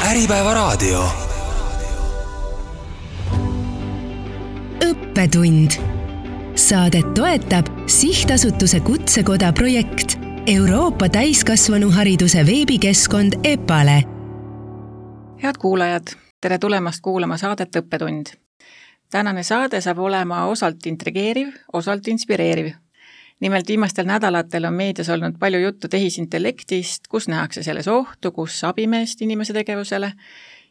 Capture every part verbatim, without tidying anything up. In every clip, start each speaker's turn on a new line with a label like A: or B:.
A: Äripäevaraadio.
B: Õppetund. Saadet toetab Sihtasutuse Kutsekoda projekt Euroopa täiskasvanuhariduse veebikeskkond EPALE.
C: Head kuulajad, tere tulemast kuulama saadet Õppetund. Tänane saade saab olema osalt intrigeeriv, osalt inspireeriv. Nimelt viimastel nädalatel on meedias olnud palju juttu tehisintellektist, kus nähakse selles ohtu, kus abimeest inimese tegevusele.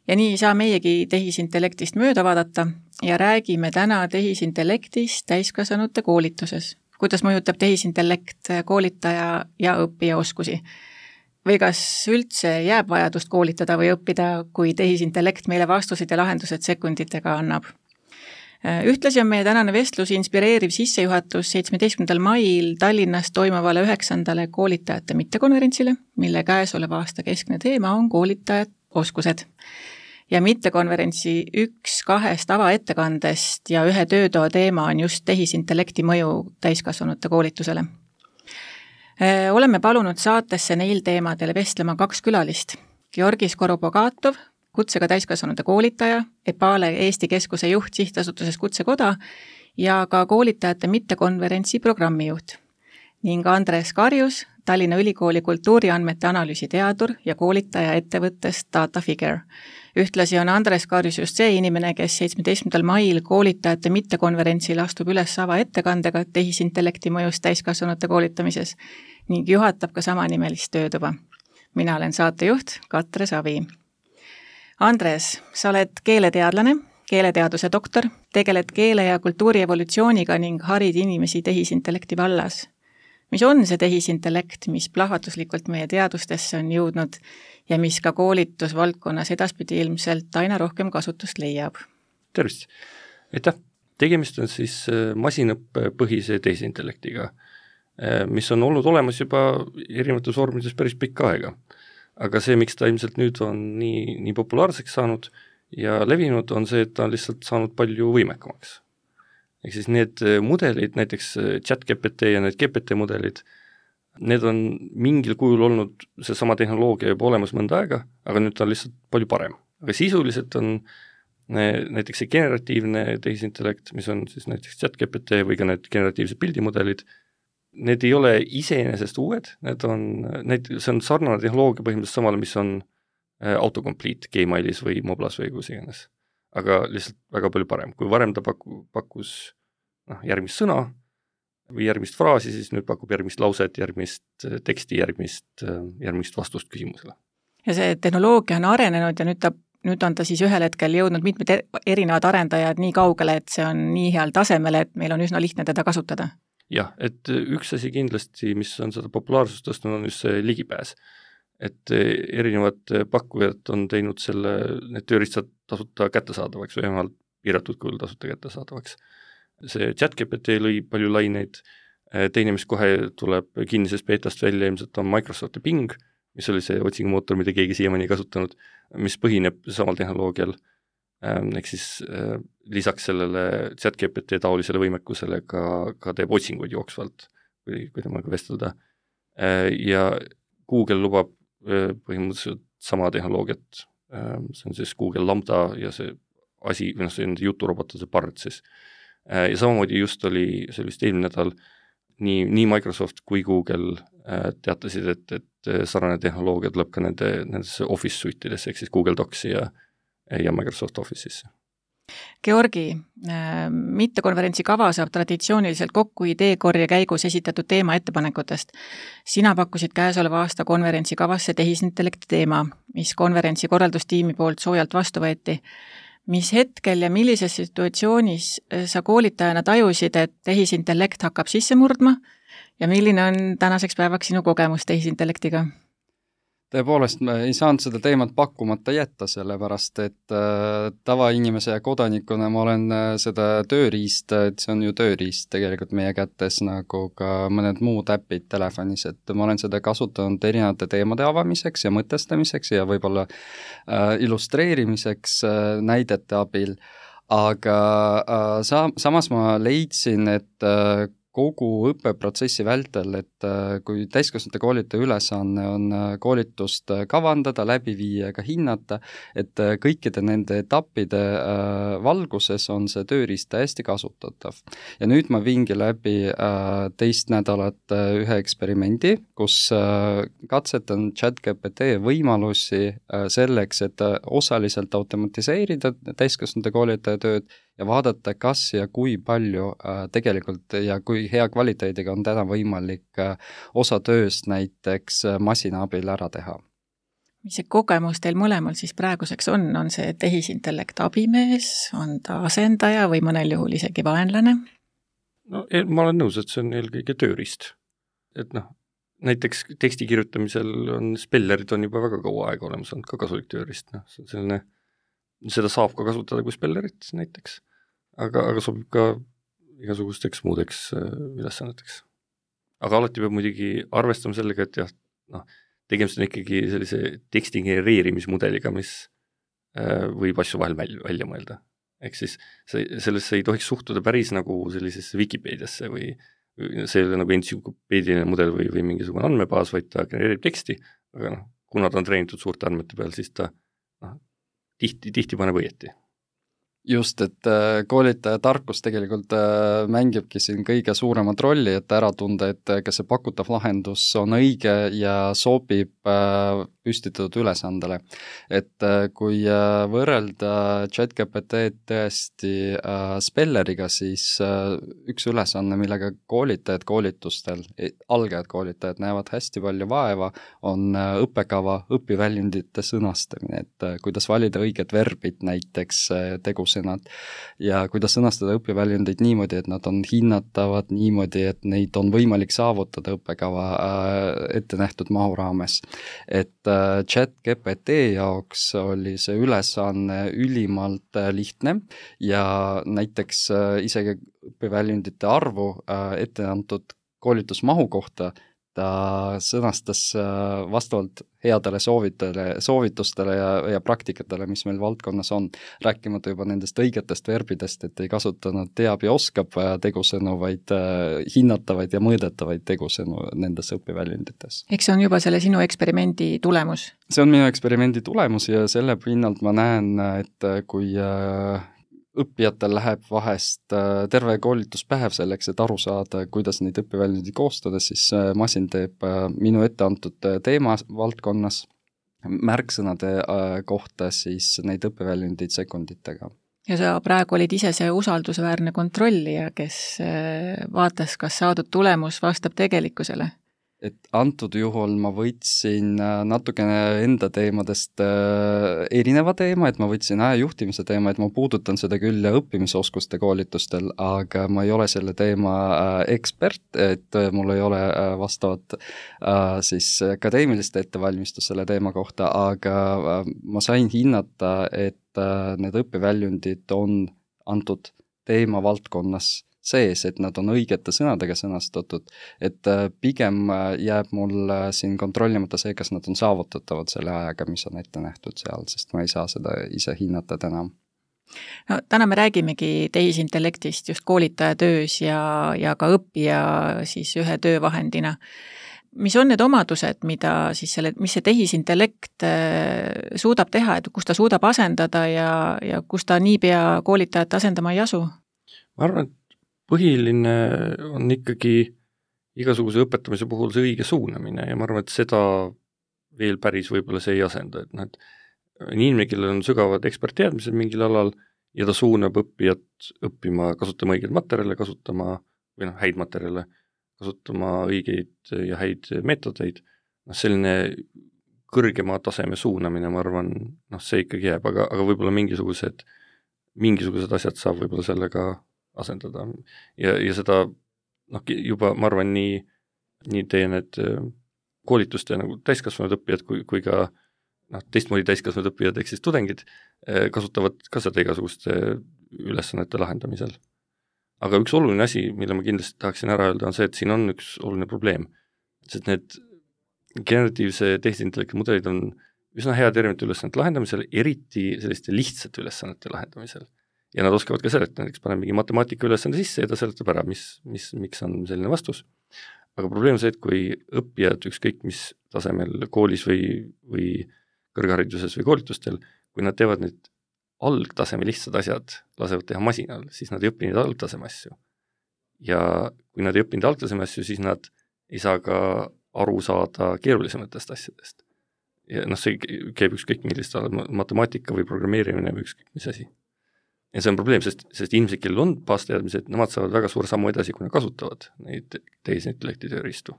C: Ja nii ei saa meiegi tehisintellektist mööda vaadata ja räägime täna tehisintellektist täiskasvanute koolituses. Kuidas mõjutab tehisintellekt koolitaja ja õppija oskusi? Või kas üldse jääb vajadust koolitada või õppida, kui tehisintellekt meile vastused ja lahendused sekunditega annab? Ühtlasi on meie tänane vestlus inspireeriv sissejuhatus seitsmeteistkümnendal mail Tallinnas toimuvale üheksandale koolitajate mittekonverentsile, mille käesoleva aasta keskne teema on koolitajad oskused. Ja mittekonverentsi üks kahest avaettekandest ja ühe töötoa teema on just tehisintellekti mõju täiskasvanute koolitusele. Oleme palunud saatesse neil teemadele vestlema kaks külalist. Georgi Skorobogatov, kutsega täiskasvanute koolitaja, EPALE Eesti Keskuse juht Sihtasutuses Kutsekoda ja ka koolitajate mittekonverentsi programmijuht. Ning Andres Karjus, Tallinna Ülikooli kultuuriandmete analüüsi teadur ja koolitaja ettevõttest DataFigure. Ühtlasi on Andres Karjus just see inimene, kes seitsmeteistkümnendal mail koolitajate mittekonverentsil astub üles ava ettekandega tehisintellekti mõjust täiskasvanute koolitamises ning juhatab ka samanimelist töötuba. Mina olen saatejuht Katre Savi. Andres, sa oled keeleteadlane, keeleteaduse doktor, tegeled keele ja kultuuri evolutsiooniga ning harid inimesi tehisintellekti vallas. Mis on see tehisintellekt, mis plahvatuslikult meie teadustesse on jõudnud ja mis ka koolitusvaldkonnas edaspidi ilmselt aina rohkem kasutust leiab?
D: Tervist! Aitäh! Tegemist on siis masinõppepõhise tehisintellektiga, mis on olnud olemas juba erinevates vormides päris pikka aega. Aga see, miks ta ilmselt nüüd on nii, nii populaarseks saanud ja levinud, on see, et ta on lihtsalt saanud palju võimekamaks. Ehk siis need mudelid, näiteks ChatGPT ja need G P T mudelid, need on mingil kujul olnud see sama tehnoloogia juba olemas mõnda aega, aga nüüd ta on lihtsalt palju parem. Aga sisuliselt on näiteks see generatiivne tehisintellekt, mis on siis näiteks ChatGPT või ka need generatiivsed pildimudelid, need ei ole iseenesest uued, need on, need, see on sarnane tehnoloogia põhimõtteliselt samale, mis on autocomplete Gmailis või Moblas või kus iganes. Aga lihtsalt väga palju parem. Kui varem ta paku, pakkus noh, järgmist sõna või järgmist fraasi, siis nüüd pakub järgmist lauset, järgmist teksti, järgmist, järgmist vastust küsimusele.
C: Ja see tehnoloogia on arenenud ja nüüd, ta, nüüd on ta siis ühel hetkel jõudnud mitmed erinevad arendajad nii kaugele, et see on nii heal tasemel, et meil on üsna lihtne teda kasutada.
D: Jah, et üks asi kindlasti, mis on seda populaarsust tõstnud, on just see ligipääs. Et erinevad pakkujad on teinud selle, need tööriistad tasuta kättesaadavaks või vähemalt piiratud kujul tasuta kättesaadavaks. See ChatGPT lõi palju laineid, teine, mis kohe tuleb kinnisest beetast välja, ilmselt on Microsofti Bing, mis oli see otsingumootor, mida keegi siiamaani ei kasutanud, mis põhineb samal tehnoloogial. Ehk siis äh, lisaks sellele ChatGPT taolisele võimekusele ka, ka teeb otsinguid jooksvalt, kui, kui temaga vestelda. Äh, ja Google lubab äh, põhimõtteliselt sama tehnoloogiat, äh, see on siis Google Lambda ja see asi, noh, see on juturobot, see Bard siis. Äh, ja samamoodi just oli, see oli vist eelmine nädal, nii, nii Microsoft kui Google äh, teatasid, et, et sarnane tehnoloogia tuleb ka nende, nendesse Office suitidesse, ehk siis Google Docsi ja ja Microsoft Office'isse.
C: Georgi, mittekonverentsi kava saab traditsiooniliselt kokku ideekorje käigus esitatud teema ettepanekutest. Sina pakkusid käesoleva aasta konverentsi kavasse tehisintellekti teema, mis konverentsi korraldustiimi poolt soojalt vastu võeti. Mis hetkel ja millises situatsioonis sa koolitajana tajusid, et tehisintellekt hakkab sisse murdma ja milline on tänaseks päevaks sinu kogemus tehisintellektiga?
E: Tõepoolest, ma ei saanud seda teemat pakkumata jätta, sellepärast, et äh, tavainimese ja kodanikuna ma olen äh, seda tööriist, et see on ju tööriist tegelikult meie kätes, nagu ka mõned muud äpid telefonis, et ma olen seda kasutanud erinevate teemade avamiseks ja mõtestamiseks ja võib-olla äh, illustreerimiseks äh, näidete abil, aga äh, sa, samas ma leidsin, et äh, kogu õppeprotsessi vältel, et kui täiskasvanute koolitaja ülesanne on koolitust kavandada, läbi viia ja ka hinnata, et kõikide nende etappide valguses on see tööriist täiesti kasutatav. Ja nüüd ma viingi läbi teist nädalat ühe eksperimendi, kus katsetan ChatGPT võimalusi selleks, et osaliselt automatiseerida täiskasvanute koolitaja tööd ja vaadata, kas ja kui palju äh, tegelikult ja kui hea kvaliteediga on täna võimalik äh, osa tööst näiteks äh, masina abil ära teha.
C: Mis see kogemus teil mõlemal siis praeguseks on? On see tehisintellekt abimees, on ta asendaja või mõnel juhul isegi vaenlane?
D: No ma olen nõus, et see on eelkõige tööriist. Et noh, näiteks teksti kirjutamisel on spellerid on juba väga kaua aega olemas, on ka kasulik tööriist. No, see on selline, seda saab ka kasutada kui spellerit näiteks. Aga, aga sobib ka igasugusteks muudeks ülesanneteks. Aga alati peab muidugi arvestama sellega, et jah, noh, tegemist on ikkagi sellise teksti genereerimismudeliga, mis äh, võib asju vahel välja, välja mõelda. Ehk siis see, sellesse ei tohiks suhtuda päris nagu sellisesse Wikipediasse või see ei ole nagu entsüklopeediline mudel või, või mingisugune andmebaas, vaid ta genereerib teksti, aga noh, kuna ta on treenitud suurte andmete peal, siis ta noh, tihti, tihti paneb õieti.
E: Just, et koolitaja tarkus tegelikult mängibki siin kõige suuremat rolli, et ära tunda, et kas see pakutav lahendus on õige ja sobib püstitatud ülesandele. Et kui võrrelda ChatGPT tõesti spelleriga, siis üks ülesanne, millega koolitajad koolitustel, algajad koolitajad näevad hästi palju vaeva, on õppekava õpiväljundite sõnastamine, et kuidas valida õiged verbid näiteks tegus ja kuidas sõnastada õpiväljundeid niimoodi, et nad on hinnatavad niimoodi, et neid on võimalik saavutada õppekava ette nähtud mahu raames. Et ChatGPT jaoks oli see ülesanne ülimalt lihtne ja näiteks isegi õpiväljundite arvu ette antud koolitusmahu kohta ta sõnastas vastavalt headele soovitele, soovitustele ja, ja praktikatele, mis meil valdkonnas on, rääkimata juba nendest õigetest verbidest, et ei kasutanud teab ja oskab tegusõnu, vaid hinnatavaid ja mõõdetavaid tegusõnu nendes õpiväljundites.
C: Eks see on juba selle sinu eksperimendi tulemus?
E: See on minu eksperimendi tulemus ja selle pinnalt ma näen, et kui õppijatel läheb vahest terve koolituspäev selleks, et aru saada, kuidas neid õpiväljundeid koostada, siis masin teeb minu ette antud teema valdkonnas märksõnade kohta siis neid õpiväljundeid sekunditega.
C: Ja sa praegu olid ise see usaldusväärne kontrollija, kes vaatas, kas saadud tulemus vastab tegelikkusele?
E: Et antud juhul ma võtsin natukene enda teemadest erineva teema, et ma võtsin ajajuhtimise teema, et ma puudutan seda küll õppimisoskuste koolitustel, aga ma ei ole selle teema ekspert, et mul ei ole vastavat siis akadeemilist ettevalmistust selle teema kohta, aga ma sain hinnata, et need õpiväljundid on antud teema valdkonnas sees, et nad on õigete sõnadega sõnastatud, et pigem jääb mul siin kontrollimata see, kas nad on saavutatavad selle ajaga, mis on ette nähtud seal, sest ma ei saa seda ise hinnata täna.
C: No, täna me räägimegi tehisintellektist just koolitaja töös ja, ja ka õppija siis ühe töövahendina. Mis on need omadused, mida siis selle, mis see tehisintellekt suudab teha, et kus ta suudab asendada ja, ja kus ta niipea koolitajat asendama ei asu?
D: Ma arvan, et põhiline on ikkagi igasuguse õpetamise puhul see õige suunamine ja ma arvan, et seda veel päris võib-olla see ei asenda, et noh, et inimene, kellel on sügavad ekspertteadmised mingil alal ja ta suunab õppijat õppima, kasutama õigeid materjale, kasutama või noh, häid materjale, kasutama õigeid ja häid meetodeid, noh, selline kõrgema taseme suunamine, ma arvan, noh, see ikkagi jääb, aga, aga võib-olla mingisugused, mingisugused asjad saab võib-olla sellega asendada ja, ja seda noh, juba ma arvan nii, nii teie need koolituste nagu täiskasvanud õppijad kui, kui ka noh, teistmoodi täiskasvanud õppijad ehk siis tudengid kasutavad ka seda igasuguste ülesannete lahendamisel. Aga üks oluline asi, mille ma kindlasti tahaksin ära öelda, on see, et siin on üks oluline probleem, sest need generatiivse tehisintellekti mudelid on üsna head erinevate ülesannete lahendamisel, eriti selliste lihtsate ülesannete lahendamisel. ja nad oskavad ka seletada, näiteks paneme mingi matemaatika ülesande sisse ja ta seletab ära, mis, mis, miks on selline vastus. Aga probleem on see, et kui õppijad ükskõik mis tasemel koolis või, või kõrghariduses või koolitustel, kui nad teevad need algtaseme lihtsad asjad, lasevad teha masinal, siis nad ei õpi neid algtaseme asju. Ja kui nad ei õppinud algtaseme asju, siis nad ei saa ka aru saada keerulisematest asjadest. Ja noh, see käib ükskõik millist matemaatika või programmeerimine või ükskõik mis asi. Ja see on probleem, sest, sest inimesed, kellel on baasteadmised, nemad saavad väga suur sammu edasi, kui nad kasutavad neid tehisintellekti tööriistu.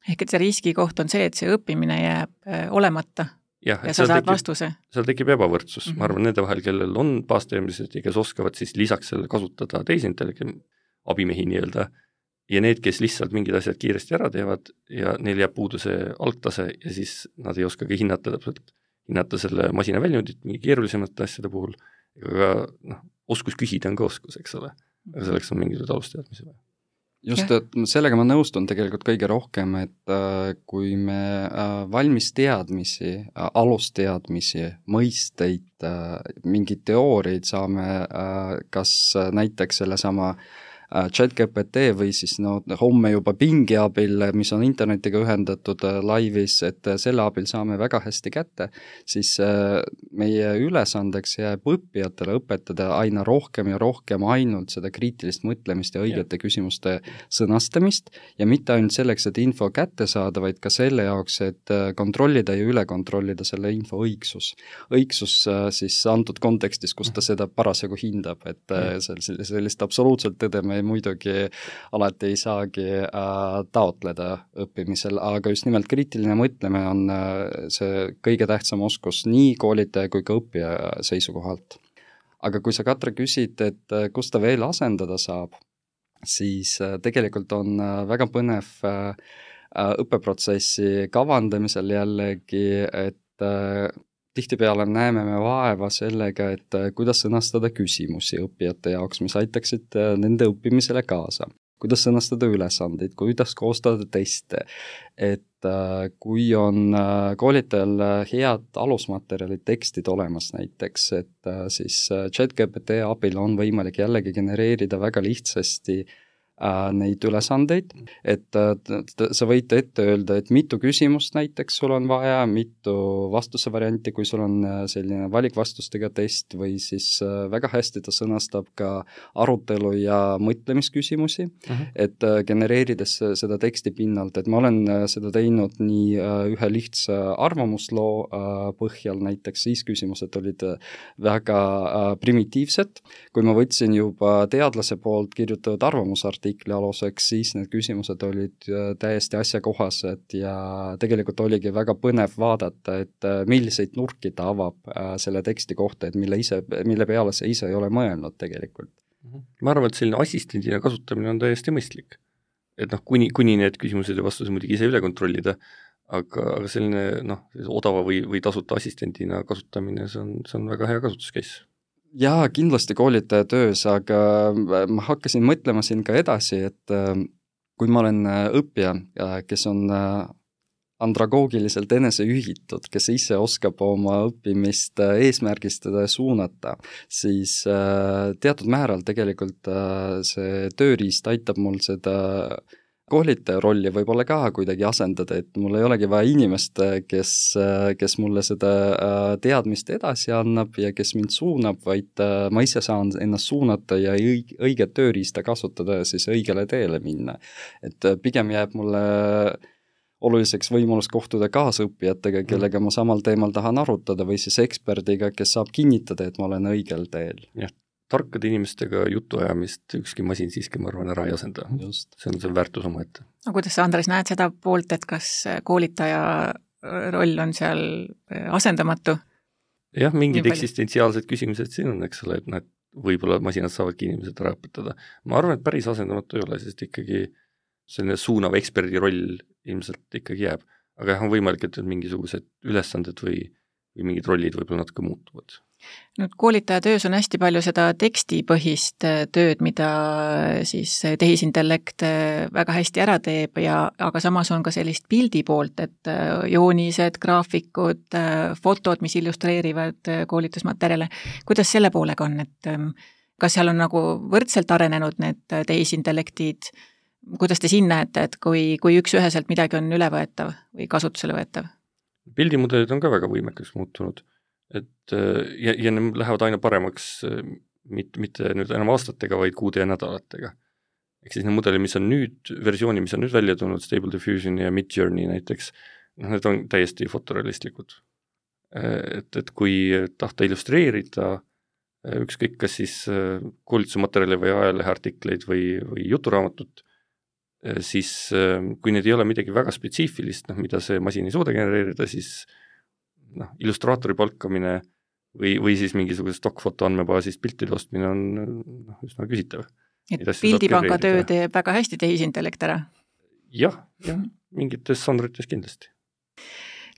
C: Ehk et see riskikoht on see, et see õppimine jääb olemata ja, ja sa saad tekib, vastuse. Seal
D: tekib ebavõrdsus. Mm-hmm. Ma arvan, nende vahel, kellel on baasteadmised ja kes oskavad siis lisaks selle kasutada tehisintellekti abimehi nii-öelda, ja need, kes lihtsalt mingid asjad kiiresti ära teevad ja neil jääb puudu see algtase ja siis nad ei oska ka hinnata täpselt, hinnata selle masina väljundit mingi keerulisemate asjade puhul, ega noh, oskus küsida on ka oskus, eks ole, aga selleks on mingisugused alusteadmisi vaja.
E: Just, et sellega ma nõustun tegelikult kõige rohkem, et kui me valmis teadmisi, alusteadmisi, mõisteid, mingid teooriaid saame kas näiteks selle sama ChatGPT või siis no, homme juba Bingi abil, mis on internetiga ühendatud laivis, et selle abil saame väga hästi kätte, siis meie ülesandeks jääb õppijatele õpetada aina rohkem ja rohkem ainult seda kriitilist mõtlemist ja õigete ja. küsimuste sõnastamist ja mitte ainult selleks, et info kätte saada, vaid ka selle jaoks, et kontrollida ja üle kontrollida selle info õigsus. Õigsus siis antud kontekstis, kus ta seda parasjagu hindab, et sellist absoluutselt tõde me muidugi alati ei saagi äh, taotleda õppimisel, aga just nimelt kriitiline mõtlemine on äh, see kõige tähtsam oskus nii koolitaja kui ka õppija seisukohalt. Aga kui sa, Katre, küsid, et äh, kus ta veel asendada saab, siis äh, tegelikult on äh, väga põnev äh, õppeprotsessi kavandamisel jällegi, et äh, tihtipeale näeme me vaeva sellega, et kuidas sõnastada küsimusi õppijate jaoks, mis aitaksid nende õppimisele kaasa. Kuidas sõnastada ülesandeid, kuidas koostada teste, et kui on koolitajal head alusmaterjalid, tekstid olemas näiteks, et siis ChatGPT abil on võimalik jällegi genereerida väga lihtsasti neid ülesandeid, et sa võid ette öelda, et mitu küsimust näiteks sul on vaja, mitu vastuse varianti, kui sul on selline valikvastustega test või siis väga hästi ta sõnastab ka arutelu ja mõtlemisküsimusi, uh-huh. et genereerides seda teksti pinnalt, et ma olen seda teinud nii ühe lihtsa arvamusloo põhjal, näiteks siis küsimused olid väga primitiivsed, kui ma võtsin juba teadlase poolt kirjutatud arvamusartikli aluseks, siis need küsimused olid täiesti asjakohased ja tegelikult oligi väga põnev vaadata, et milliseid nurki ta avab selle teksti kohta, et mille, ise, mille peale see ise ei ole mõelnud tegelikult.
D: Ma arvan, et selline assistendina kasutamine on täiesti mõistlik. Et noh, kuni, kuni need küsimused ja vastused muidugi ise üle kontrollida, aga, aga selline noh, odava või, või tasuta assistendina kasutamine, see on, see on väga hea kasutuscase.
E: Jaa, kindlasti koolitaja töös, aga ma hakkasin mõtlema siin ka edasi, et kui ma olen õppija, kes on andragoogiliselt eneseühitud, kes ise oskab oma õppimist eesmärgistada ja suunata, siis teatud määral tegelikult see tööriist aitab mul seda koolitaja rolli võib-olla ka kuidagi asendada, et mul ei olegi vaja inimest, kes, kes mulle seda teadmist edasi annab ja kes mind suunab, vaid ma ise saan ennast suunata ja õiget tööriista kasutada ja siis õigele teele minna. Et pigem jääb mulle oluliseks võimalus kohtuda kaasõppijatega, kellega ma samal teemal tahan arutada või siis eksperdiga, kes saab kinnitada, et ma olen õigel teel.
D: Jah. Tarkade inimestega jutuajamist ükski masin siiski, ma arvan, ära ei asenda. Just. See on see väärtus oma ette.
C: No, kuidas sa, Andres, näed seda poolt, et kas koolitaja roll on seal asendamatu?
D: Jah, mingid eksistentsiaalsed küsimused siin on, eks ole, et nad võib-olla masinad saavadki inimesed ära õpetada. Ma arvan, et päris asendamatu ei ole, sest ikkagi selline suunav eksperdi roll ilmselt ikkagi jääb. Aga jah, on võimalik, et mingisugused ülesanded või, või mingid rollid võib-olla natuke muutuvad.
C: Nüüd koolitaja töös on hästi palju seda tekstipõhist tööd, mida siis tehisintellekt väga hästi ära teeb, ja, aga samas on ka sellist pildi poolt, et joonised, graafikud, fotod, mis illustreerivad koolitusmaterjale. Kuidas selle poolega on, et kas seal on nagu võrdselt arenenud need tehisintellektid, kuidas te siin näete, et kui, kui üks üheselt midagi on ülevõetav või kasutusele võetav?
D: Pildimudelid on ka väga võimekaks muutunud, et ja, ja need lähevad aina paremaks mitte, mitte nüüd enam aastatega, vaid kuude ja nädalatega. Ehk siis need mudelid, mis on nüüd, versiooni, mis on nüüd välja tulnud, Stable Diffusion ja Midjourney näiteks, noh, need on täiesti fotorealistlikud. Et, et kui tahta illustreerida ükskõik kas siis koolitusmaterjali või ajaleheartikleid või, või juturaamatut, siis kui need ei ole midagi väga spetsiifilist, noh, mida see masin ei suuda genereerida, siis noh, illustraatori palkamine või, või siis mingisuguse stockfoto andmebaasist piltide ostmine on noh, üsna küsitav.
C: Et pildipanga töö teeb väga hästi tehisintellekt ära?
D: Jah, jah, mingites žanrites kindlasti.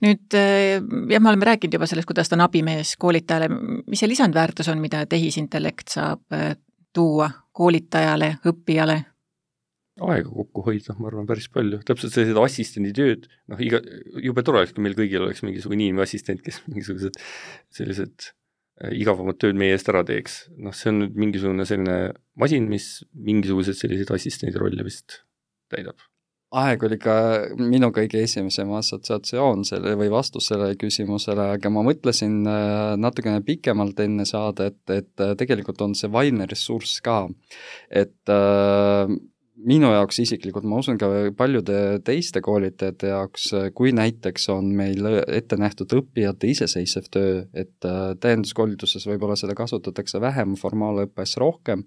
C: Nüüd, jah, me oleme rääkinud juba sellest, kuidas ta on abimees koolitajale. Mis see lisandväärtus on, mida tehisintellekt saab tuua koolitajale, õppijale?
D: Aega kokku hoida, ma arvan, päris palju. Täpselt sellised assistendi tööd, noh, iga, jube tore oleks, kui meil kõigil oleks mingisugune inimassistent, kes mingisugused sellised igavamad tööd meie eest ära teeks. Noh, see on nüüd mingisugune selline masin, mis mingisugused sellised assistendi rolle vist täidab.
E: Aeg oli ka minu kõige esimesem assotsiatsioon selle või vastus sellele küsimusele, aga ma mõtlesin natukene pikemalt enne saada, et, et tegelikult on see vaimne ressurss ka. Et äh, minu jaoks isiklikult, ma usun ka paljude teiste koolitajate jaoks, kui näiteks on meil ette nähtud õppijate iseseisev töö, et täienduskoolituses võib-olla seda kasutatakse vähem, formaalõppes rohkem,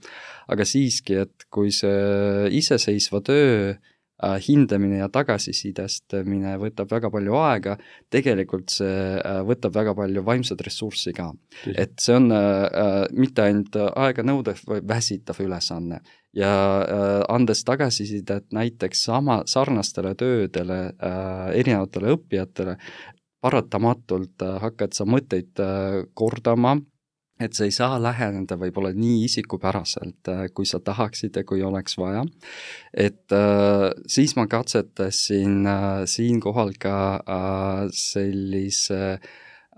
E: aga siiski, et kui see iseseisva töö hindamine ja tagasisidestamine võtab väga palju aega, tegelikult see võtab väga palju vaimset ressurssi ka. Et see on äh, mitte ainult aega nõudev või väsitav ülesanne ja äh, andes tagasisidet näiteks sama sarnastele töödele äh, erinevatele õppijatele, paratamatult äh, hakkad sa mõtteid äh, kordama, et sa ei saa läheneda võib-olla nii isikupäraselt, kui sa tahaksid ja kui oleks vaja. Et äh, siis ma katsetasin äh, siinkohal ka äh, sellise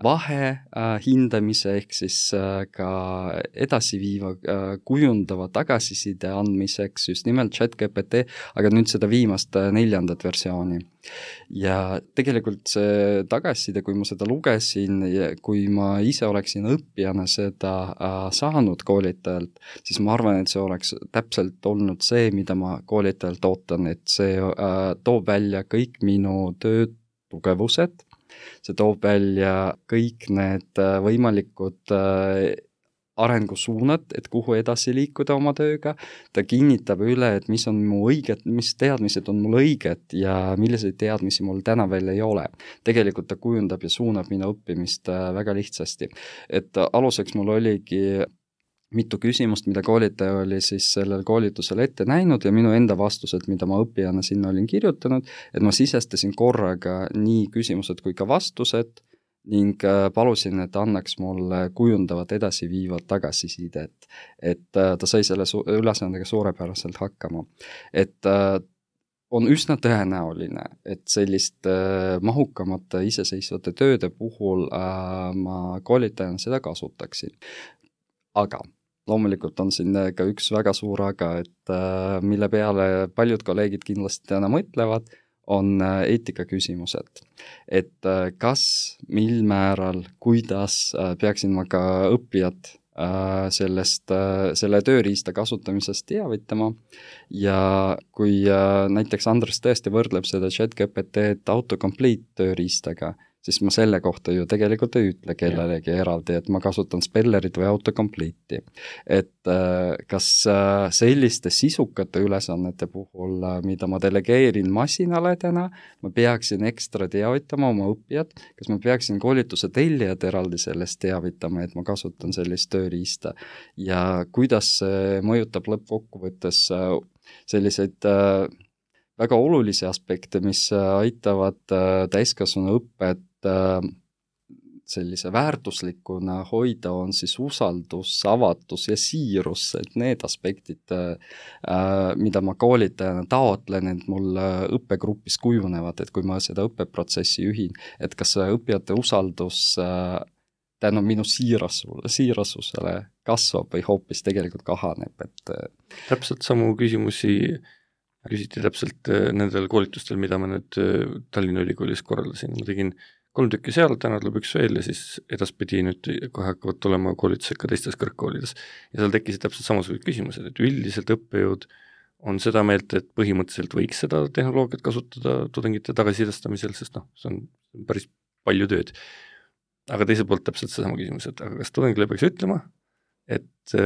E: vahe äh, hindamise ehk siis äh, ka edasiviiva äh, kujundava tagasiside andmiseks just nimelt ChatGPT, aga nüüd seda viimast äh, neljandat versiooni. Ja tegelikult see tagasiside, kui ma seda lugesin ja kui ma ise oleksin õppijana seda äh, saanud koolitajalt, siis ma arvan, et see oleks täpselt olnud see, mida ma koolitajalt ootan, et see äh, toob välja kõik minu töö tugevused, see toob välja kõik need võimalikud arengusuunad, et kuhu edasi liikuda oma tööga, ta kinnitab üle, et mis on mu õiged, mis teadmised on mul õiged ja milliseid teadmisi mul täna veel ei ole. Tegelikult ta kujundab ja suunab minu õppimist väga lihtsasti. Et aluseks mul oligi mitu küsimust, mida koolitaja oli siis sellel koolitusel ette näinud ja minu enda vastused, mida ma õppijana sinna olin kirjutanud, et ma sisestasin korraga nii küsimused kui ka vastused ning palusin, et annaks mulle kujundavat edasiviivat tagasisidet, et ta sai selle su- ülesandega suurepäraselt hakkama. Et on üsna tõenäoline, et sellist mahukamate iseseisvate tööde puhul ma koolitajana seda kasutaksin. Aga loomulikult on siin ka üks väga suur aga, et mille peale paljud kolleegid kindlasti täna mõtlevad, on eetika küsimused. Et kas, mil määral, kuidas peaksin ma ka õppijat sellest, selle tööriista kasutamisest teavitama ja kui näiteks Andres tõesti võrdleb seda ChatGPT autocomplete tööriistaga, siis ma selle kohta ju tegelikult ei ütle kellelegi eraldi, et ma kasutan spellerit või autocomplete'i. Et kas selliste sisukate ülesannete puhul, mida ma delegeerin masinale täna, ma peaksin ekstra teavitama oma õppijat, kas ma peaksin koolituse tellijad eraldi sellest teavitama, et ma kasutan sellist tööriista ja kuidas see mõjutab lõppkokkuvõttes selliseid väga olulisi aspekte, mis aitavad täiskasvanu õppet sellise väärtuslikuna hoida, on siis usaldus, avatus ja siirus, et need aspektid, mida ma koolitajana taotlen, et mul õppegrupis kujunevad, et kui ma seda õppeprotsessi juhin, et kas õppijate usaldus tänu minu siirasusele kasvab või hoopis tegelikult kahaneb, et
D: täpselt samu küsimusi küsiti täpselt nendel koolitustel, mida ma nüüd Tallinna Ülikoolis korraldasin. Ma tegin kolm tükki seal, täna tuleb üks veel ja siis edaspidi nüüd kohe hakkavad olema koolitused ka teistes kõrgkoolides. Ja seal tekkisid täpselt samasugused küsimused, et üldiselt õppejõud on seda meelt, et põhimõtteliselt võiks seda tehnoloogiat kasutada tudengite tagasisidestamisel, sest noh, see on päris palju tööd. Aga teiselt poolt täpselt seesama küsimus, et aga kas tudengile peaks ütlema, et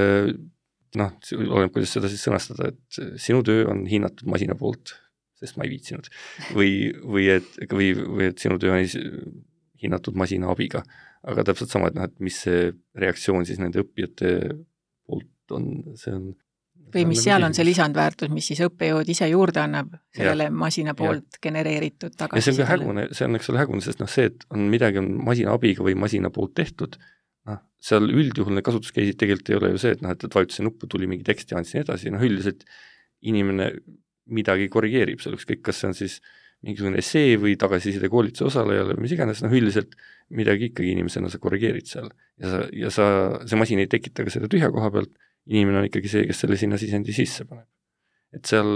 D: noh, oleneb, kuidas seda siis sõnastada, et sinu töö on hinnatud masina poolt, sest ma ei viitsinud. Või, või, et, või, või et sinu töö on hinnatud masina abiga. Aga täpselt sama, et, noh, et mis see reaktsioon siis nende õppijate poolt on, see on
C: või mis seal on see lisandväärtus, mis siis õppejõud ise juurde annab sellele ja, masina poolt ja. genereeritud tagasi.
D: Ja see on ka hägune, see on eks ole hägune, sest noh, see, et on midagi on masina abiga või masina poolt tehtud, noh, seal üldjuhul need kasutuskeisid tegelikult ei ole ju see, et noh, et, et vajutasin nuppu, tuli mingi teksti, andsin edasi, noh üldiselt inimene midagi korrigeerib, seal ükskõik, kas see on siis mingisugune essee või tagasiside koolituse osalejale või mis iganes, noh üldiselt midagi ikkagi inimesena sa korrigeerid seal ja, sa, ja sa, see masin ei tekita ka seda tühja koha pealt, inimene on ikkagi see, kes selle sinna sisendi sisse paneb. Et seal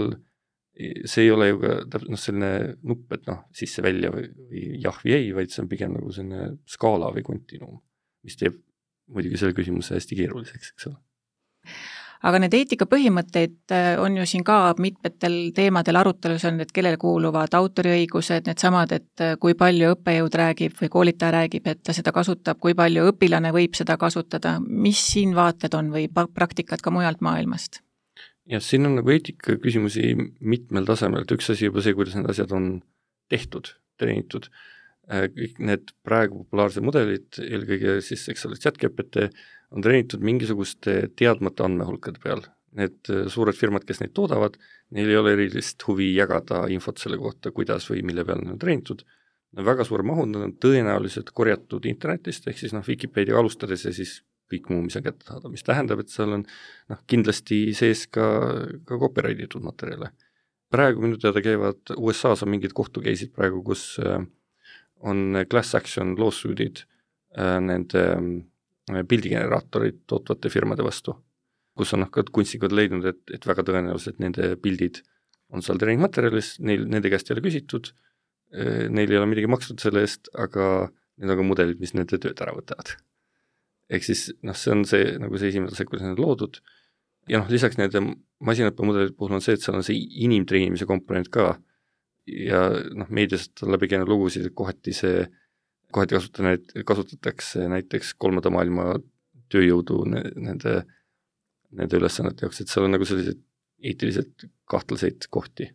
D: see ei ole ju ka noh, selline nupp, et noh, sisse välja või, või jah või ei, vaid see on pigem nagu selline skaala või kontinuum, mis teeb muidugi selle küsimuse hästi keeruliseks, eks ole.
C: Aga need eetikapõhimõtteid on ju siin ka mitmetel teemadel arutelus on, et kellele kuuluvad autoriõigused, need samad, et kui palju õppejõud räägib või koolitaja räägib, et ta seda kasutab, kui palju õpilane võib seda kasutada, mis siin vaated on või praktikad ka mujalt maailmast?
D: Ja siin on nagu eetika küsimusi mitmel tasemel, et üks asi juba see, kuidas need asjad on tehtud, treenitud. Kõik need praegu populaarsed mudelid, eelkõige siis eks ole ChatGPT, on treenitud mingisuguste teadmata andmehulkade peal. Need suured firmad, kes neid toodavad, neil ei ole erilist huvi jagada infot selle kohta, kuidas või mille peal need on treenitud. Väga suur mahud on tõenäoliselt korjatud internetist, ehk siis noh, Wikipedia alustades ja siis kõik muu, mis on kätte saada, mis tähendab, et seal on noh, kindlasti sees ka, ka copyrightitud materjale. Praegu minu teada käivad U S A-s on mingid kohtukeisid praegu, kus on class action lawsuit'id nende pildigeneraatorid tootvate firmade vastu, kus on noh, ka kunstnikud leidnud, et, et väga tõenäoliselt nende pildid on seal treeningmaterjalis, neil, nende käest ei ole küsitud, neil ei ole midagi makstud selle eest, aga need on ka mudelid, mis nende tööd ära võtavad. Ehk siis noh, see on see, nagu see esimene tase, kuidas need loodud, ja noh, lisaks nende masinõppemudelid puhul on see, et seal on see inimtreenimise komponent ka, ja noh, meediast on läbi käinud lugusid, et kohati see, kohati kasutatakse, kasutatakse näiteks kolmanda maailma tööjõudu nende, nende ülesannete jaoks, et seal on nagu sellised eetiliselt kahtlaseid kohti.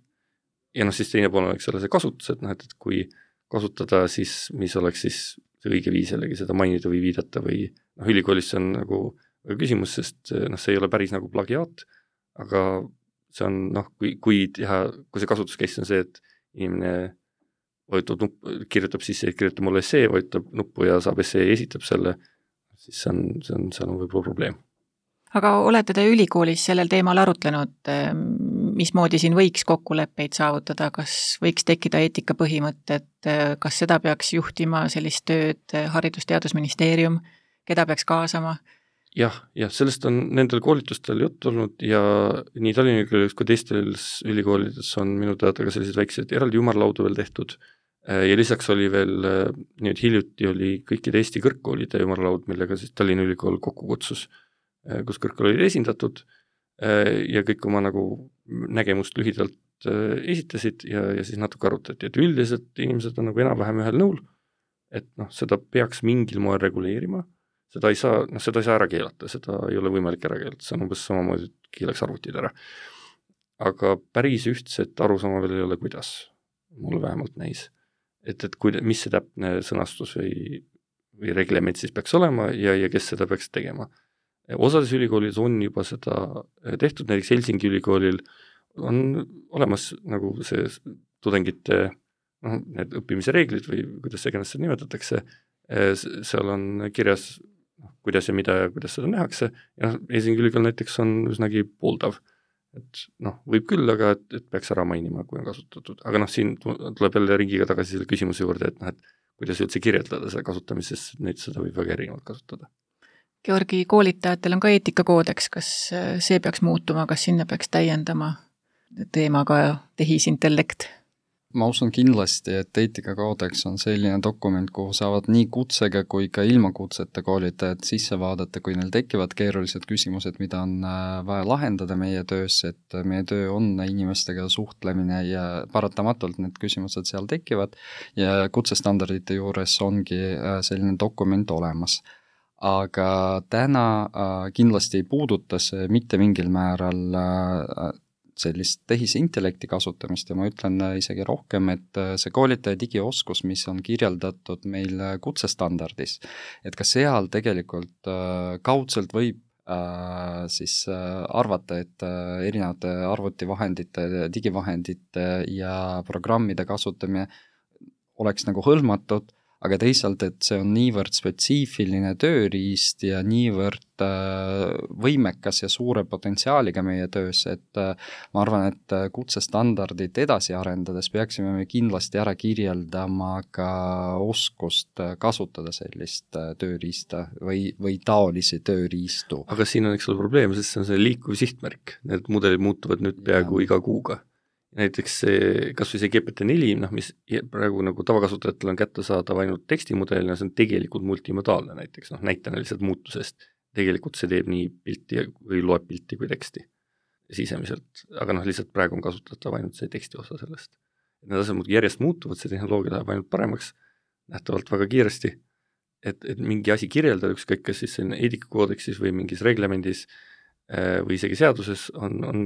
D: Ja noh, siis teine pool on, eks ole, see kasutus, et noh, et, et kui kasutada, siis mis oleks siis see õige viis jällegi seda mainida või viidata või noh, ülikoolis see on nagu küsimus, sest noh, see ei ole päris nagu plagiaat, aga see on noh, kui, kui teha, kui see kasutuskeist on see, et inimene vajutab nupp, kirjutab sisse, kirjutab mulle essee, vajutab nuppu ja saab essee ja esitab selle, siis see on, see on, seal on võib-olla probleem.
C: Aga olete te ülikoolis sellel teemal arutlenud, mismoodi siin võiks kokkuleppeid saavutada, kas võiks tekkida eetikapõhimõtted, kas seda peaks juhtima sellist tööd Haridus-Teadusministeerium, keda peaks kaasama?
D: Jah, jah, sellest on nendel koolitustel jutt olnud ja nii Tallinna Ülikoolis kui teistel ülikoolides on minu teada ka sellised väiksed eraldi ümarlaudu veel tehtud ja lisaks oli veel, nüüd hiljuti oli kõikide Eesti kõrgkoolide ümarlaud, millega siis Tallinna Ülikool kokku kutsus, kus kõrgkool oli esindatud ja kõik oma nagu nägemust lühidalt esitasid ja, ja siis natuke arutati, et üldiselt inimesed on nagu enam-vähem ühel nõul, et noh, seda peaks mingil moel reguleerima, seda ei saa, noh, seda ei saa ära keelata, seda ei ole võimalik ära keelata, see on umbes samamoodi, et keelaks arvutid ära. Aga päris ühtset arusaama veel ei ole, kuidas, mulle vähemalt näis. Et, et kuida, mis see täpne sõnastus või, või reglement siis peaks olema ja, ja kes seda peaks tegema. Osades ülikoolid on juba seda tehtud, näiteks Helsingi ülikoolil on olemas nagu see tudengite noh, need õppimise reeglid või kuidas see ennast nimetatakse, seal on kirjas kuidas ja mida ja kuidas seda nähakse ja Helsingi ülikool näiteks on üsnagi pooldav, et noh, võib küll, aga et, et peaks ära mainima, kui on kasutatud, aga noh, siin tuleb jälle ringiga tagasi selle küsimuse juurde, et noh, et kuidas üldse kirjeldada seda kasutamist, sest neid seda võib väga erinevalt kasutada.
C: Georgi, koolitajatel on ka eetikakoodeks, kas see peaks muutuma, kas sinna peaks täiendama teemaga tehisintellekt?
E: Ma usun kindlasti, et eetikakoodeks on selline dokument, kuhu saavad nii kutsega kui ka ilma kutseta koolitajad sisse vaadata, kui neil tekivad keerulised küsimused, mida on vaja lahendada meie töös, et meie töö on inimestega suhtlemine ja paratamatult need küsimused seal tekivad ja kutsestandardite juures ongi selline dokument olemas. Aga täna kindlasti ei puuduta see mitte mingil määral sellist tehisintellekti kasutamist ja ma ütlen isegi rohkem, et see koolitaja digioskus, mis on kirjeldatud meil kutsestandardis, et ka seal tegelikult kaudselt võib siis arvata, et erinevate arvutivahendite, digivahendite ja programmide kasutamine oleks nagu hõlmatud, aga teisalt, et see on niivõrd spetsiifiline tööriist ja niivõrd võimekas ja suure potentsiaaliga meie töös, et ma arvan, et kutsestandardit edasi arendades peaksime me kindlasti ära kirjeldama ka oskust kasutada sellist tööriista või, või taolisi tööriistu.
D: Aga siin on eks ole probleem, sest see on see liikuv sihtmärk. Need mudelid muutuvad nüüd peaaegu ja. iga kuuga. Näiteks see, kas või see G P T neli, noh, mis praegu nagu tavakasutajatel on kättesaadav ainult tekstimudelina, see on tegelikult multimodaalne näiteks, noh, näitena lihtsalt muutusest. Tegelikult see teeb nii pilti või loeb pilti kui teksti sisemiselt, aga noh, lihtsalt praegu on kasutatav ainult see teksti osa sellest. Need asjad järjest muutuvad, see tehnoloogia läheb ainult paremaks, nähtavalt väga kiiresti, et, et mingi asi kirjeldada, ükskõik kas siis eetikakoodeksis või mingis reglemendis või isegi seaduses on, on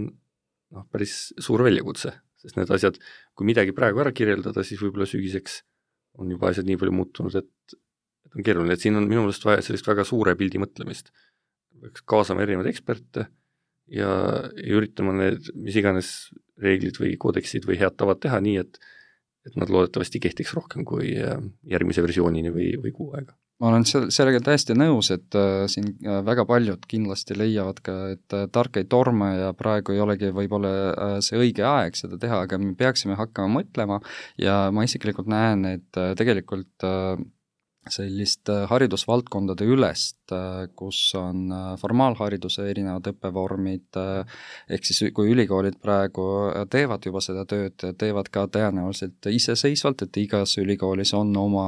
D: noh, päris suur väljakutse, sest need asjad, kui midagi praegu ära kirjeldada, siis võib-olla sügiseks on juba asjad nii palju muutunud, et, et on keeruline, et siin on minu meelest vaja sellist väga suure pildi mõtlemist. Peaks kaasama erinevaid eksperte ja, ja üritama need, mis iganes reeglid või koodeksid või head tavad teha nii, et, et nad loodetavasti kehtiks rohkem kui järgmise versioonini või, või kuu aega.
E: Ma olen sellega täiesti nõus, et äh, siin väga paljud kindlasti leiavad ka, et äh, tark ei torma ja praegu ei olegi võib-olla äh, see õige aeg seda teha, aga me peaksime hakkama mõtlema ja ma isiklikult näen, et äh, tegelikult äh, sellist haridusvaldkondade ülest, kus on formaalhariduse erinevad õppevormid, ehk siis kui ülikoolid praegu teevad juba seda tööd, teevad ka tõenäoliselt iseseisvalt, et igas ülikoolis on oma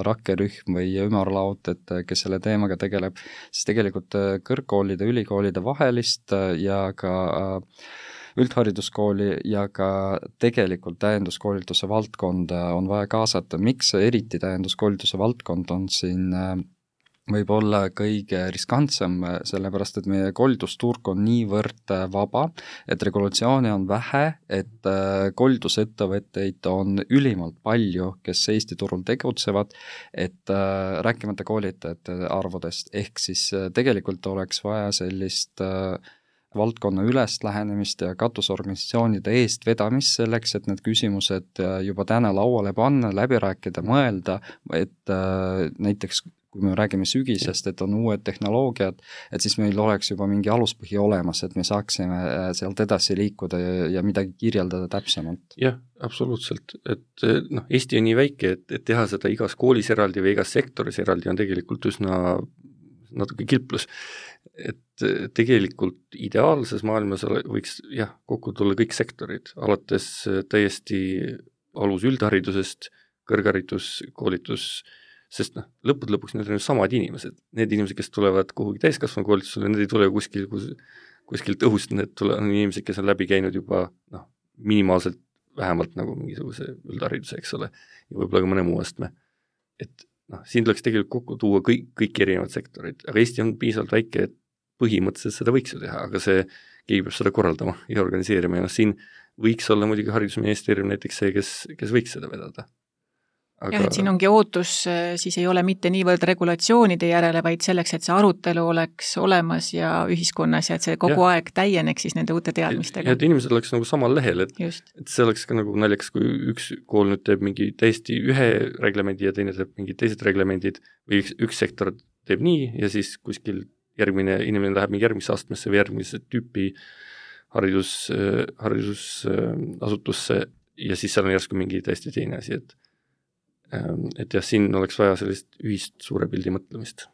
E: rakkerühm või ümarlaud, et kes selle teemaga tegeleb, siis tegelikult kõrgkoolide, ülikoolide vahelist ja ka üldhariduskooli ja ka tegelikult täienduskoolituse valdkonda on vaja kaasata. Miks eriti täienduskoolituse valdkond on siin võib-olla kõige riskantsem, sellepärast et meie koolitusturg on niivõrd vaba, et regulatsioone on vähe, et koolitusettevõtteid on ülimalt palju, kes Eesti turul tegutsevad, et rääkimata koolitajate arvudest, ehk siis tegelikult oleks vaja sellist valdkonna ülest lähenemist ja katusorganisatsioonide eest vedamist selleks, et need küsimused juba täna lauale panna, läbi rääkida, mõelda, et näiteks kui me räägime sügisest, et on uued tehnoloogiad, et siis meil oleks juba mingi aluspõhi olemas, et me saaksime sealt edasi liikuda ja, ja midagi kirjeldada täpsemalt.
D: Jah, absoluutselt. Et noh, Eesti on nii väike, et, et teha seda igas koolis eraldi või igas sektoris eraldi on tegelikult üsna natuke kilplus. Et tegelikult ideaalses maailmas võiks jah, kokku tulla kõik sektorid, alates täiesti alus üldharidusest, kõrgharidus, koolitus, sest noh, lõpud lõpuks need on ju samad inimesed. Need inimesed, kes tulevad kuhugi täiskasvanu koolitusele, need ei tule kuskil, kus, kuskilt õhust, need tule, on inimesed, kes on läbi käinud juba noh, minimaalselt vähemalt nagu mingisuguse üldhariduse, eks ole, ja võib-olla ka mõne muu astme. Et noh, siin tuleks tegelikult kokku tuua kõik, kõik erinevad sektorid, aga Eesti on piisavalt väike, et põhimõtteliselt seda võiks ju teha, aga see keegi peab seda korraldama ja organiseerima ja noh, siin võiks olla muidugi haridusministeerium näiteks see, kes, kes võiks seda vedada.
C: Aga... jah, et siin ongi ootus, siis ei ole mitte niivõrd regulatsioonide järele, vaid selleks, et see arutelu oleks olemas ja ühiskonnas ja et see kogu ja. aeg täieneks siis nende uute teadmistega.
D: Ja et inimesed oleks nagu samal lehel, et, et see oleks ka nagu naljakas, kui üks kool nüüd teeb mingi täiesti ühe reglemendi ja teine teeb mingi teised reglemendid või üks, üks sektor teeb nii ja siis kuskil järgmine inimene läheb mingi järgmisse astmesse või järgmise tüüpi haridus, haridusasutusse ja siis seal on järsku mingi täiesti teine asi, et et jah, siin oleks vaja sellist ühist suure pildi mõtlemist.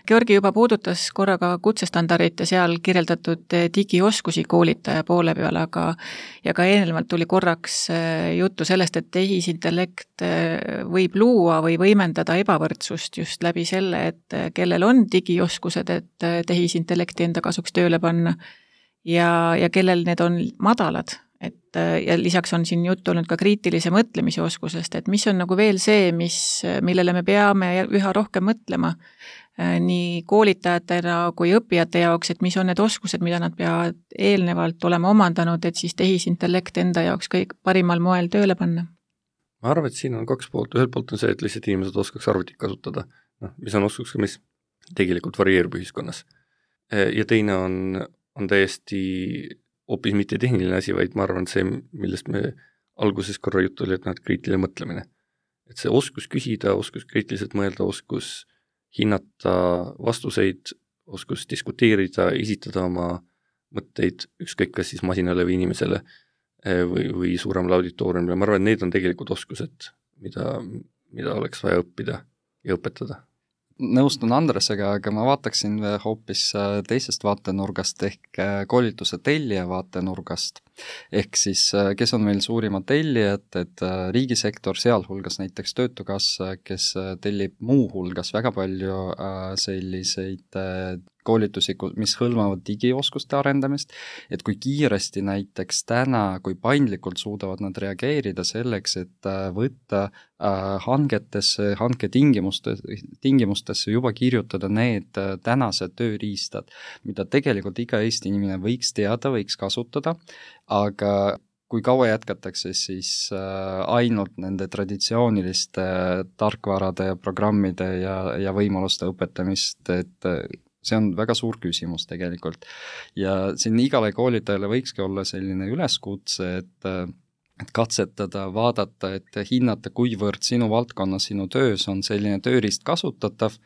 C: Georgi juba puudutas korraga kutsestandardit ja seal kirjeldatud digioskusi koolitaja poole peal, aga ja ka eelnevalt tuli korraks juttu sellest, et tehisintellekt võib luua või võimendada ebavõrdsust just läbi selle, et kellel on digioskused, et tehisintellekti enda kasuks tööle panna ja, ja kellel need on madalad. Et, ja lisaks on siin juttu olnud ka kriitilise mõtlemise oskusest, et mis on nagu veel see, mis, millele me peame üha rohkem mõtlema nii koolitajatena kui õppijate jaoks, et mis on need oskused, mida nad peavad eelnevalt olema omandanud, et siis tehisintellekt enda jaoks kõik parimal moel tööle panna.
D: Ma arvan, et siin on kaks poolt, ühelt poolt on see, et lihtsalt inimesed oskaks arvutit kasutada, no, mis on oskuks, mis tegelikult varieerub ühiskonnas. Ja teine on, on täiesti hoopis mitte tehniline asi, vaid ma arvan, see, millest me alguses korra juttu oli, et nad kriitiline mõtlemine. Et see oskus küsida, oskus kriitiliselt mõelda, oskus hinnata vastuseid, oskus diskuteerida, esitada oma mõtteid ükskõik kas siis masinale või inimesele või, või suuremale auditooriumile. Ma arvan, et need on tegelikult oskused, mida, mida oleks vaja õppida ja õpetada.
E: Nõustun Andresega, aga ma vaataksin hoopis teisest vaatenurgast ehk koolituse tellija vaatenurgast. Ehk siis, kes on meil suurimad tellijad, et riigisektor, sealhulgas näiteks Töötukassa, kes tellib muu hulgas väga palju selliseid koolitusi, mis hõlmavad digioskuste arendamist, et kui kiiresti näiteks täna, kui paindlikult suudavad nad reageerida selleks, et võtta hangetesse, hanke tingimustes, tingimustesse juba kirjutada need tänased tööriistad, mida tegelikult iga Eesti inimene võiks teada, võiks kasutada, aga kui kaua jätkatakse, siis ainult nende traditsiooniliste tarkvarade ja programmide ja, ja võimaluste õpetamist, et see on väga suur küsimus tegelikult. Ja siin igale koolitajale võikski olla selline üleskutse, et, et katsetada, vaadata, et hinnata, kuivõrd sinu valdkonnas, sinu töös on selline tööriist kasutatav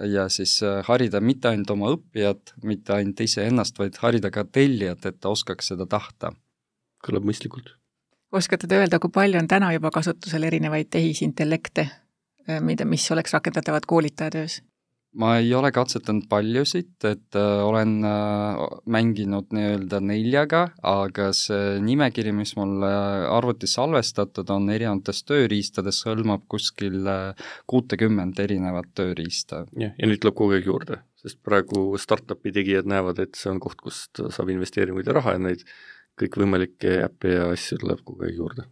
E: ja siis harida mitte ainult oma õppijat, mitte ainult ise ennast, vaid harida ka tellijat, et ta oskaks seda tahta.
D: Kõlab mõistlikult.
C: Oskate te öelda, kui palju on täna juba kasutusel erinevaid tehisintellekte, mida, mis oleks rakendatavad koolitaja töös?
E: Ma ei ole katsetanud paljusid, et äh, olen äh, mänginud nii-öelda neljaga, aga see nimekiri, mis mul arvutis salvestatud on erinevates tööriistades, hõlmab kuskil kuutekümmend erinevat tööriista.
D: Ja, ja nüüd tuleb kogu aeg juurde, sest praegu startupi tegijad näevad, et see on koht, kust saab investeeringuid ja raha ja neid kõik võimalikke äppe ja asju tuleb kogu aeg juurde.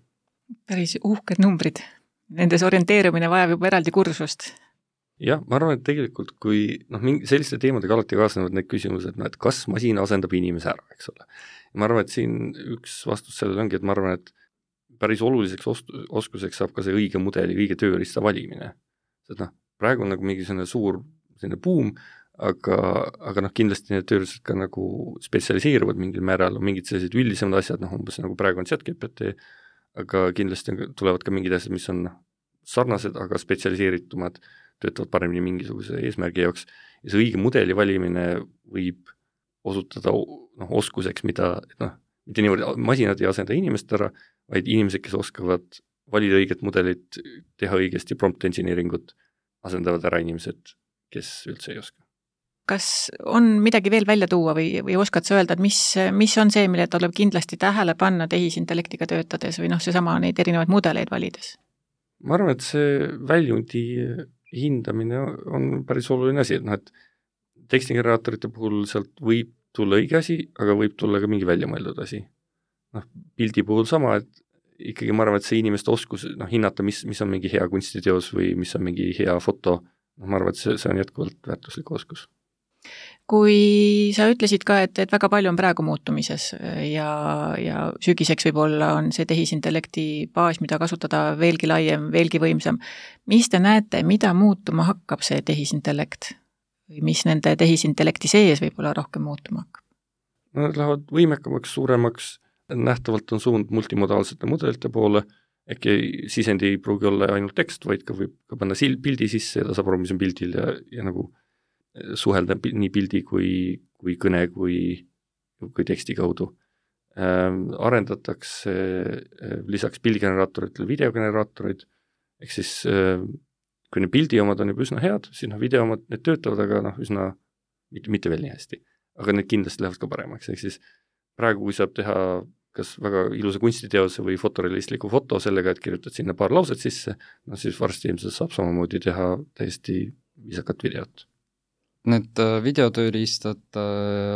C: Päris uhked numbrid. Nendes orienteerumine vajab juba eraldi kursust.
D: Jah, ma arvan, et tegelikult kui noh, selliste teemadega alati kaasnevad need küsimused, no, et kas masin asendab inimese ära, eks ole. Ja ma arvan, et siin üks vastus sellele ongi, et ma arvan, et päris oluliseks oskuseks saab ka see õige mudeli, õige tööriista valimine. Sest noh, praegu on nagu mingi selline suur selline buum, aga, aga noh, kindlasti need tööriistad ka nagu spetsialiseeruvad mingil määral, on mingid sellised üldisemad asjad, noh, umbes nagu praegu on ChatGPT, aga kindlasti tulevad ka mingid asjad, mis on sarnased, aga spetsialiseeritumad, töötavad paremini mingisuguse eesmärgi jaoks ja see õige mudeli valimine võib osutada noh, oskuseks, mida noh, mitte niivõrd masinad ei asenda inimest ära, vaid inimesed, kes oskavad valida õiget mudelit, teha õigesti prompt engineeringut, asendavad ära inimesed, kes üldse ei oska.
C: Kas on midagi veel välja tuua või, või oskad sa öelda, et mis, mis on see, mille tuleb kindlasti tähele panna tehisintellektiga töötades või noh, seesama neid erinevaid mudeleid valides?
D: Ma arvan, et see väljundi hindamine on päris oluline asi, et noh, et tekstigeneraatorite puhul sealt võib tulla õige asi, aga võib tulla ka mingi väljamõeldud asi. Noh, pildi puhul sama, et ikkagi ma arvan, et see inimeste oskus noh, hinnata, mis, mis on mingi hea kunstiteos või mis on mingi hea foto, noh, ma arvan, et see, see on jätkuvalt väärtuslik oskus.
C: Kui sa ütlesid ka, et, et väga palju on praegu muutumises ja, ja sügiseks võib-olla on see tehisintellekti baas, mida kasutada veelgi laiem, veelgi võimsam. Mis te näete, mida muutuma hakkab see tehisintellekt? Või mis nende tehisintellekti sees võib-olla rohkem muutuma hakkab?
D: No, nad lähevad võimekamaks, suuremaks, nähtavalt on suund multimodaalsete mudelite poole, äkki sisendi ei pruugi olla ainult tekst, vaid ka võib ka panna pildi sisse ja ta saab aru, mis on pildil ja, ja nagu suhelda nii pildi kui, kui kõne kui, kui teksti kaudu. Ähm, arendatakse äh, lisaks pildigeneraatoritele videogeneraatorid, ehk siis äh, kui need pildi omad on juba üsna head, siis noh, video omad, need töötavad, aga noh, üsna mitte, mitte veel nii hästi. Aga need kindlasti lähevad ka paremaks, ehk siis praegu, kui saab teha kas väga ilusa kunstiteose või fotorealistliku foto sellega, et kirjutad sinna paar lauset sisse, no siis varsti ilmselt saab samamoodi teha täiesti viisakat videot.
E: Need videotööriistad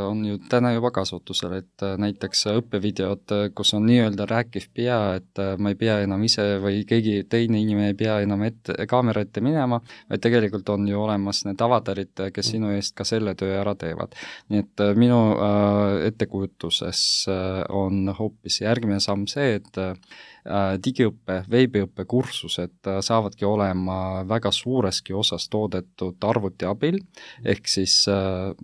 E: on ju täna juba kasutusel, et näiteks õppevideod, kus on nii-öelda rääkiv pea, et ma ei pea enam ise või keegi teine inimene ei pea enam ette, kaamera ette minema, vaid tegelikult on ju olemas need avatarid, kes sinu eest ka selle töö ära teevad. Nii et minu ettekujutuses on hoopis järgmine samm see, et digiõppe, veebiõppe kursused saavadki olema väga suureski osas toodetud arvuti abil, ehk siis äh,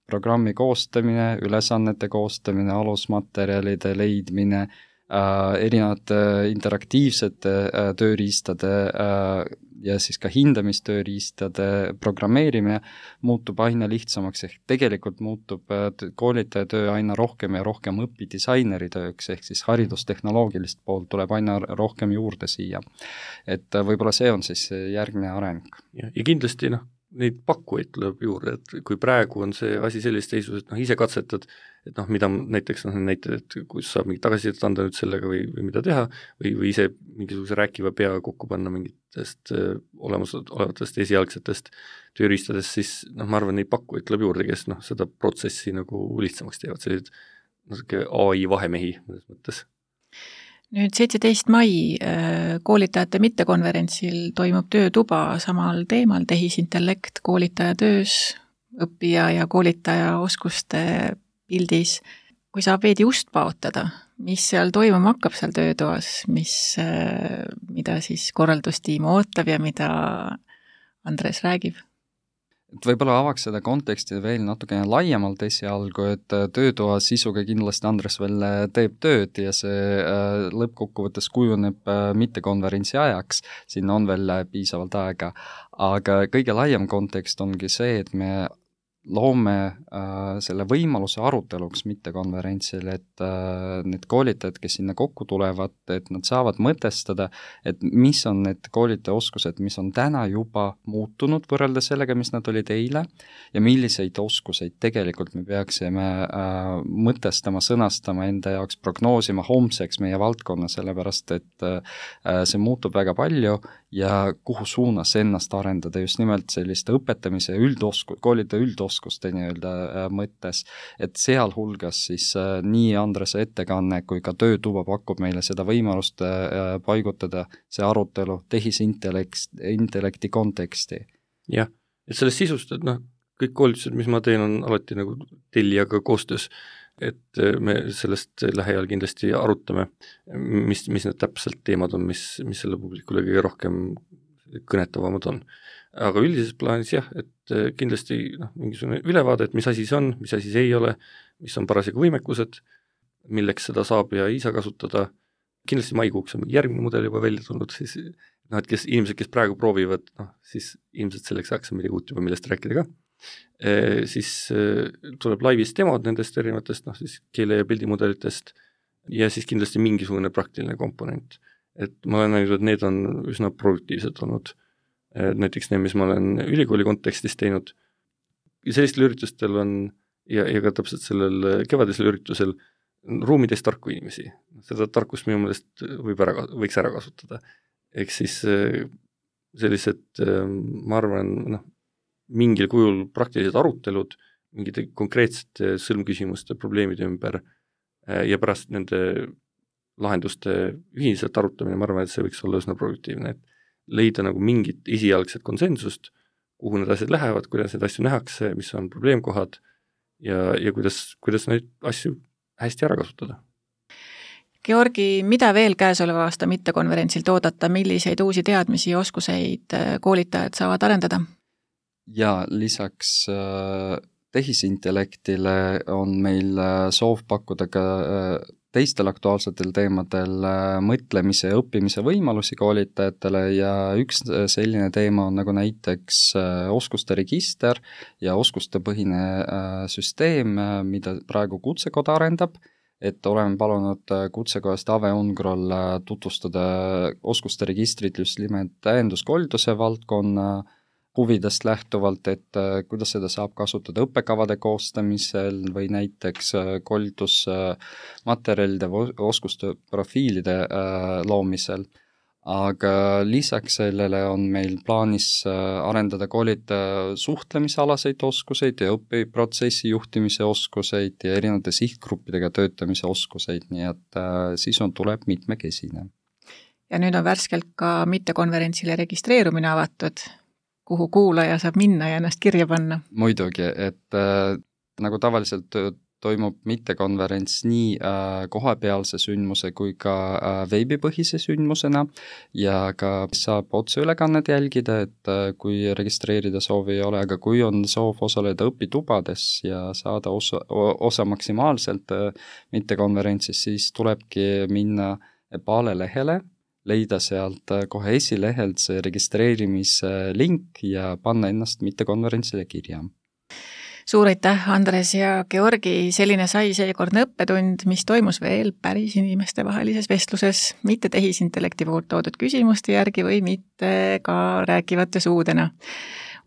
E: programmi koostamine, ülesannete koostamine, alusmaterjalide leidmine, äh, erinevate interaktiivsete äh, tööriistade äh, ja siis ka hindamistööriistade programmeerimine muutub aina lihtsamaks, ehk tegelikult muutub koolitaja töö aina rohkem ja rohkem õpidisaineri tööks, ehk siis haridustehnoloogilist poolt tuleb aina rohkem juurde siia. Et võib-olla see on siis järgmine areng.
D: Ja, ja kindlasti noh, neid pakkujaid tuleb juurde, et kui praegu on see asi sellist seisus, et noh, ise katsetad, et noh, mida näiteks noh, näited, et kus saab mingit tagasisidet anda nüüd sellega või, või mida teha, või, või ise mingisuguse rääkiva pea kokku panna mingitest äh, olemas olevatest esialgsetest tööriistadest, siis noh, ma arvan, neid pakkujaid tuleb juurde, kes noh, seda protsessi nagu lihtsamaks teevad, sellised natuke A I vahemehi mõnes mõttes.
C: Nüüd seitseteist mai koolitajate mittekonverentsil toimub töötuba samal teemal tehisintellekt koolitaja töös, õppija ja koolitaja oskuste pildis. Kui saab veidi ust paotada, mis seal toimuma hakkab seal töötoas, mis, mida siis korraldustiim ootab ja mida Andres räägib?
E: Et võib-olla avaks seda konteksti veel natukene laiemalt esialgu, et töötoa sisuga kindlasti Andres veel teeb tööd ja see lõppkokkuvõttes kujuneb mittekonverentsi ajaks, sinna on veel piisavalt aega, aga kõige laiem kontekst ongi see, et me loome äh, selle võimaluse aruteluks mittekonverentsil, et äh, need koolitajad, kes sinna kokku tulevad, et nad saavad mõtestada, et mis on need koolitajaoskused, mis on täna juba muutunud võrreldes sellega, mis nad olid eile, ja milliseid oskuseid tegelikult me peaksime äh, mõtestama, sõnastama enda jaoks, prognoosima homseks meie valdkonna, sellepärast et äh, see muutub väga palju ja kuhu suunas ennast arendada just nimelt selliste õpetamise üldosku, koolitaja üldoskuste nii-öelda mõttes, et sealhulgas siis äh, nii Andrese ettekanne kui ka töötuba pakub meile seda võimalust äh, paigutada see arutelu tehisintellekti konteksti.
D: Jah, et sellest sisust, et noh, kõik koolitused, mis ma teen, on alati nagu tellijaga koostöös, et me sellest lähiajal kindlasti arutame, mis, mis need täpselt teemad on, mis, mis selle publikule kõige rohkem kõnetavamad on. Aga üldises plaanis jah, et kindlasti noh, mingisugune ülevaade, et mis asi see on, mis asi see ei ole, mis on parasjagu võimekused, milleks seda saab ja ei saa kasutada. Kindlasti maikuuks on järgmine mudel juba välja tulnud, siis noh, et kes, inimesed, kes praegu proovivad, noh, siis ilmselt selleks ajaks on midagi uut juba, millest rääkida ka. E, siis e, tuleb laivis demod nendest erinevatest, noh, siis keele- ja pildimudelitest ja siis kindlasti mingisugune praktiline komponent. Et ma olen näinud, et need on üsna produktiivsed olnud. E, näiteks need, mis ma olen ülikooli kontekstis teinud. Ja sellistel üritustel on, ja, ja ka täpselt sellel kevadisel üritusel, ruumides tarku inimesi. Seda tarkust minu meelest võib ära, võiks ära kasutada. Ehk siis sellised, ma arvan, noh, mingil kujul praktilised arutelud, mingite konkreetsete sõlmküsimuste, probleemide ümber ja pärast nende lahenduste ühiselt arutamine, ma arvan, et see võiks olla üsna produktiivne, et leida nagu mingit esialgset konsensust, kuhu need asjad lähevad, kuidas need asju nähakse, mis on probleemkohad ja, ja kuidas, kuidas neid asju hästi ära kasutada.
C: Georgi, mida veel käesoleva aasta mittekonverentsil oodata, milliseid uusi teadmisi ja oskuseid koolitajad saavad arendada?
E: Ja lisaks äh, tehisintellektile on meil äh, soov pakkuda ka äh, teistel aktuaalsetel teemadel äh, mõtlemise ja õppimise võimalusi koolitajatele ja üks selline teema on nagu näiteks äh, oskuste register ja oskustepõhine äh, süsteem, äh, mida praegu Kutsekoda arendab, et oleme palunud kutsekohast Ave Ungrol tutvustada oskuste registrit just nimelt täienduskoolituse valdkonna huvidest lähtuvalt, et kuidas seda saab kasutada õppekavade koostamisel või näiteks koolitusmaterjalide või oskuste profiilide loomisel. Aga lisaks sellele on meil plaanis arendada koolide suhtlemisalaseid oskuseid ja õpiprotsessi juhtimise oskuseid ja erinevate sihtgruppidega töötamise oskuseid, nii et siis on tuleb mitmekesine.
C: Ja nüüd on värskelt ka mittekonverentsile registreerumine avatud, kuhu kuulaja saab minna ja ennast kirja panna.
E: Muidugi, et äh, nagu tavaliselt toimub mittekonverents nii äh, kohapealse sündmuse kui ka äh, veebipõhise sündmusena ja ka saab otseülekannet jälgida, et äh, kui registreerida soovi ei ole, aga kui on soov osaleda õpitubades ja saada osa, osa maksimaalselt äh, mittekonverentsis, siis tulebki minna EPALE lehele, leida sealt kohe esilehelt see registreerimislink ja panna ennast mittekonverentsile kirja.
C: Suur aitäh, Andres ja Georgi, selline sai seekordne õppetund, mis toimus veel päris inimeste vahelises vestluses, mitte tehisintellekti poolt toodud küsimuste järgi või mitte ka rääkivate suudena.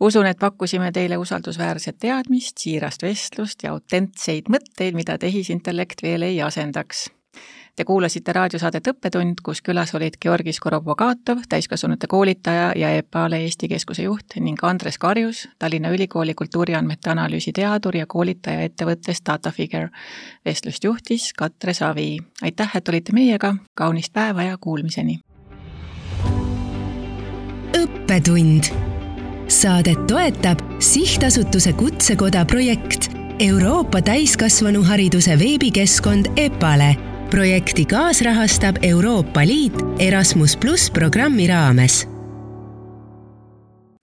C: Usun, et pakkusime teile usaldusväärset teadmist, siirast vestlust ja autentseid mõtteid, mida tehisintellekt veel ei asendaks. Te kuulasite raadiosaadet Õppetund, kus külas olid Georgi Skorobogatov, täiskasvanute koolitaja ja EPALE Eesti Keskuse juht ning Andres Karjus, Tallinna Ülikooli kultuuriandmete analüüsi teadur ja koolitaja ettevõttest DataFigure. Vestlust juhtis Katre Savi. Aitäh, et olite meiega, kaunist päeva ja kuulmiseni.
B: Õppetund. Saadet toetab Sihtasutuse Kutsekoda projekt Euroopa täiskasvanuhariduse veebikeskkond EPALE. Projekti kaasrahastab Euroopa Liit Erasmus plus programmi raames.